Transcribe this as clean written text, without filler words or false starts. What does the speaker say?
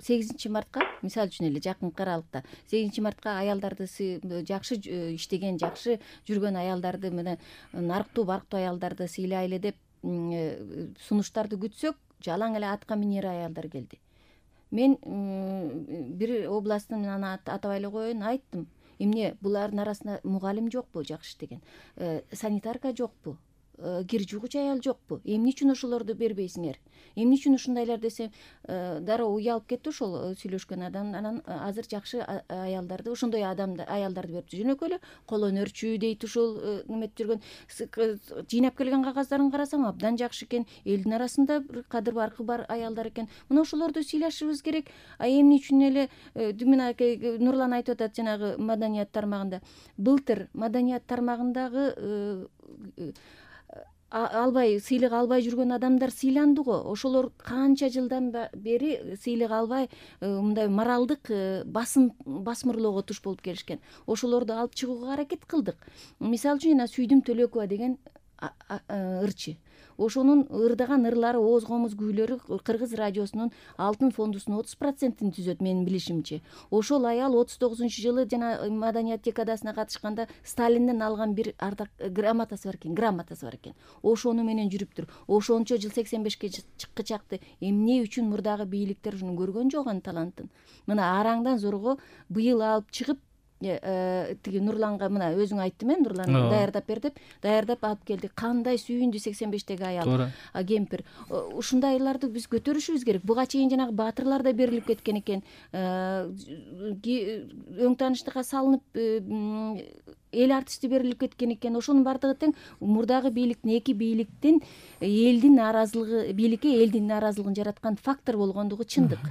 8 мартка мисалы үчүн эле жакынкы аралыкта 8 мартка аялдарды жакшы иштеген, жакшы жүргөн аялдарды мына нарыктуу барктуу аялдарды сыйлайлы деп сунуштарды күтсөк, жалаң эле атка минер аялдар келди. Мен бир областтын атабай эле коеюн, айттым. Эмне булардын арасында мугалим жокпу жакшы иштеген, санитарка жокпу, кир жуугуч аял жокпу? Эмне үчүн ошолорду бербейсиңер? Эмне үчүн ушундайлар десем, дароо уялып кетти ошол сүйлөшкөн адам. Анан азыр жакшы аялдарды, ошондой аялдарды берипти. Жөнөкөй эле кол өнөрчү дейт ушул неметип жүргөн. Жыйнап келген кагаздарын карасам абдан жакшы экен. Элдин арасында бир кадыр баркы бар аялдар экен. Мына ошолорду сыйлашыбыз керек. Эмне үчүн эле Дүмүн аке, Нурлан айтып атат жанагы маданият тармагында. Былтыр маданият тармагындагы сыйлык албай жүргөн адамдар сыйланды го. Ошолор канча жылдан бери сыйлык албай мындай моралдык басмырлоого туш болуп келишкен. Ошолорду алып чыгууга аракет кылдык. Мисалы үчүн жана Сүйдүм Төлөкова деген ырчы. Ошонун ырдаган ырлары, ооз комуз күүлөрү Кыргыз радиосунун алтын фондусунун 30%-ин түзөт менин билишимче. Ошол аял 39-жылы жана маданият декадасына катышканда Сталинден алган бир грамотасы бар экен. Ошону менен жүрүптүр. Ошончо жыл 85-ке чыккычакты эмне үчүн мурдагы бийликтер ушуну көргөн жок анын талантын. Мына араңдан зорго быйыл алып чыгып тиги Нурланга, мына өзүң айттым, Нурлан даярдап бер деп, даярдап алып келди. Кандай сүйүндү 85-теги аял, кемпир. Ушундайларды биз көтөрүшүбүз керек. Буга чейин жанагы баатырлар да берилип кеткен экен. Өң тааныштыкка салынып эл артисти берилип кеткен экен. Ошонун баардыгы тең мурдагы бийликтин, эки бийликтин элдин нааразылыгы, бийликке элдин нааразылыгын жараткан фактор болгондугу чындык.